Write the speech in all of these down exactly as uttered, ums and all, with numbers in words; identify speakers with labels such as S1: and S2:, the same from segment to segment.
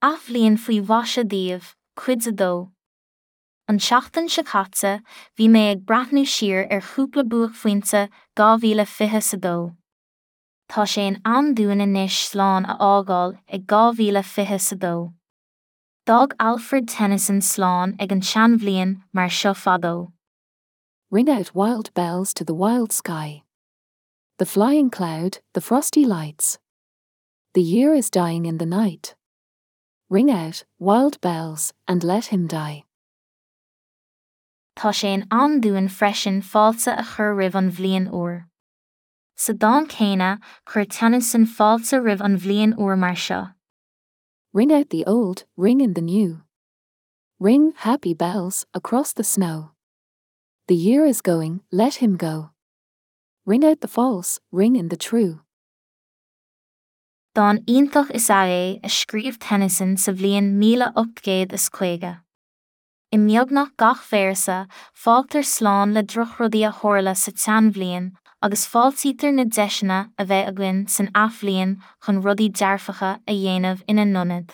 S1: Athbhliain faoi mhaise daoibh, cuid a dó. An tseachtain seo caite, bhí mé ag breathnú siar ar chúpla buaicphointe dhá mhíle fiche a dó. Tá sé in am dúinn anois slán a fhágáil ag dhá mhíle fiche a dó. D'fhág Alfred Tennyson slán ag an tseanbhliain mar seo fadó.
S2: Ring out wild bells to the wild sky. The flying cloud, the frosty lights. The year is dying in the night. Ring out, wild bells, and let him die.
S1: Tá sé in am dúinn freisin fáilte a chur roimh an bhliain úr. Sa dán céanna, chuir Tennyson fáilte roimh an bhliain úr mar seo.
S2: Ring out the old, ring in the new. Ring happy bells across the snow. The year is going, let him go. Ring out the false, ring in the true.
S1: Dán iontach is ea é a scríobh Tennyson sa bhliain míle ocht gcéad is caoga. I mbeagnach gach véarsa, fágtar slán le drochrudaí a tharla sa tseanbhliain agus fáiltítear na deiseanna a bheidh againn san athbhliain chun rudaí dearfacha a dhéanamh ina n-ionad.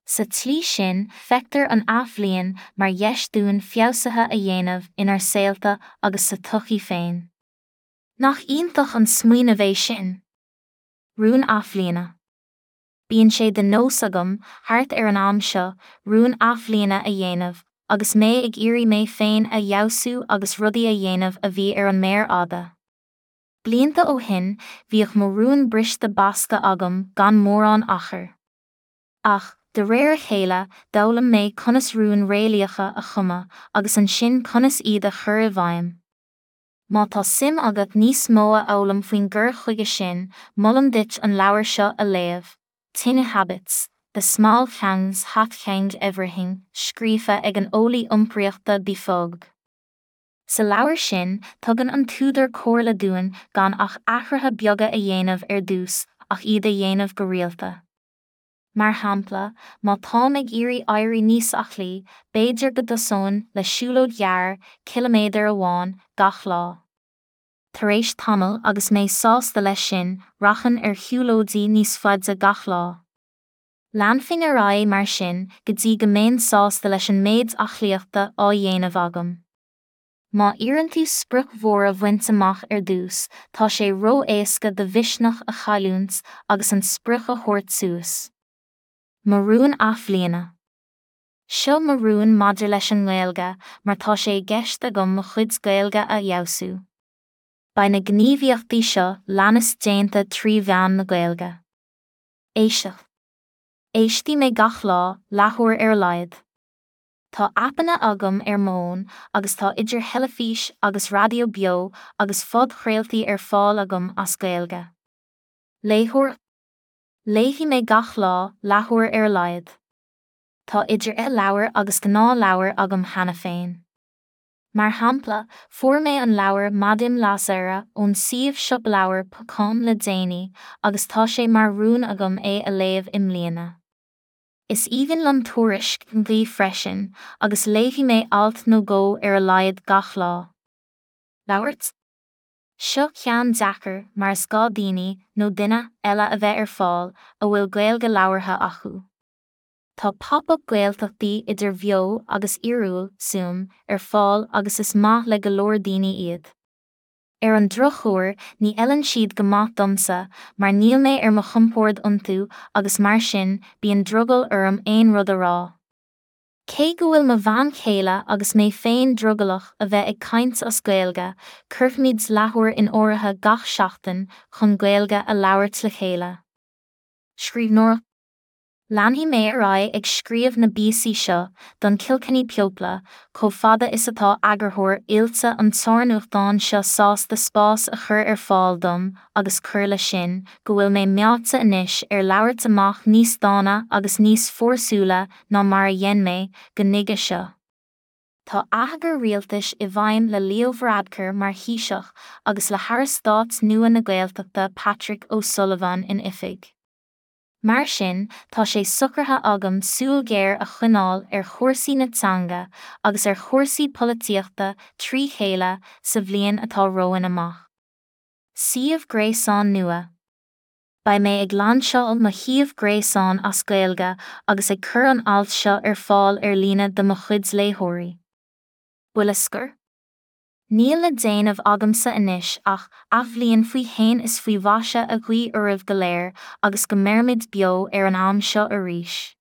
S1: Sa tslí sin, feictear an athbhliain mar dheis dúinn feabhsuithe a dhéanamh inár saolta agus sa tsochaí féin. Nach iontach an smaoineamh é sin? Rún athbhliana. Bíonn sé de nós agam, thart ar an am seo, rún athbhliana a dhéanamh, agus mé ag iarraidh mé féin a fheabhsú agus rudaí a dhéanamh a bhí ar an méar fhada. Blianta ó shin, bhíodh mo rún briste basctha agam gan mórán achair. Ach, de réir a chéile, d'fhoghlaim mé conas rúin réalaíocha a chumadh agus ansin conas iad a chur i bhfeidhm. Má tá suim agat níos mó a fhoghlaim faoin gcur chuige sin, molaim duit an leabhar seo a léamh, Tiny Habits, The Small Things That Change Everything, scríofa ag an eolaí iompraíochta Bea Fogg. Sa leabhar sin, tugann an t-údar comhairle dúinn gan ach athruithe beaga a dhéanamh ar dtús ach iad a dhéanamh go rialta. Mar shampla, má táim ag iarraidh éirí níos aclaí, b'fhéidir go dtosóinn le siúlóid ghearr, ciliméadar amháin, gach lá. Tar éis tamaill agus mé sásta leis sin, rachainn ar shiúlóidí níos faide gach lá. Leanfainn ar aghaidh mar sin go dtí go mbeinn sásta leis an méid aclaíochta á dhéanamh agam. Má iarrann tú sprioc mhór a bhaint amach ar dtús, tá sé ró-éasca do mhisneach a chailliúint agus an sprioc a thabhairt suas. Mo rún athbhliana. Seo mo rún maidir leis an nGaeilge mar tá sé i gceist agam mo chuid Gaeilge a fheabhsú. Beidh na gníomhaíochtaí seo leanas déanta trí mheán na Gaeilge. Éisteacht. Éistfidh mé gach lá, leathuair ar a laghad. Tá aipeanna agam ar m'fhón agus tá idir theilifís agus raidió beo agus phodchraoltaí ar fáil agam as Gaeilge. Léitheoir Léifidh mé gach lá, leathuair ar a laghad. Tá idir e-leabhair agus gnáthleabhair agam cheana féin. Mar shampla, fuair mé an leabhar Maidin Lasaire ón suíomh siopa ponc com le déanaí agus tá sé mar rún agam é a léamh i mbliana. Is aoibhinn liom tuairisc an lae freisin, agus léifidh mé alt nó dhó ar a laghad gach lá. Labhairt Seo ceann deacair mar is gá daoine nó duine eile a bheith ar fáil a bhfuil Gaeilge labhartha acu. Tá pop-up Gaeltachtaí idir bheo agus fhíorúil Zoom ar fáil agus is maith le go leor daoine iad. Ar an drochuair ní fheileann siad go maith domsa mar níl mé ar mo chompord iontu agus mar sin bíonn drogall orm aon rud a rá. Cé go bhfuil mo bhean chéile agus mé féin drogallach a bheith ag caint as Gaeilge, cuirfimid leathuair in áirithe gach seachtain chun Gaeilge a labhairt le chéile. Scríbhneoireacht Leanfaidh mé ar aghaidh ag scríobh na bpíosaí seo don Kilkenny People chomh fada is atá eagarthóir oilte an tsárnuachtáin seo sásta spás a chur ar fáil dom agus cur leis sin go bhfuil mé meáite anois ar labhairt amach níos dána agus níos fórsúla ná mar a dhein mé go nuige seo. Tá atheagar rialtais i bhfeidhm le Leo Varadkar mar Thaoiseach agus le hAire Stáit nua na Gaeltachta Patrick O'Sullivan in oifig. Mar sin, tá sé socraithe agam súil ghéar a choinneáil ar chúrsaí na teanga agus ar chúrsaí polaitíochta trí chéile sa bhliain atá romhainn amach. Suíomh gréasáin nua. Beidh mé ag lainseáil mo shuíomh gréasáin as Gaeilge agus ag cur an alt seo ar fáil ar líne do mo chuid léitheoirí. Buille scoir? Níl le déanamh agamsa anois ach athbhliain faoi shéan is faoi mhaise a ghuí oraibh go léir agus go mbeirimid beo ar an am seo arís.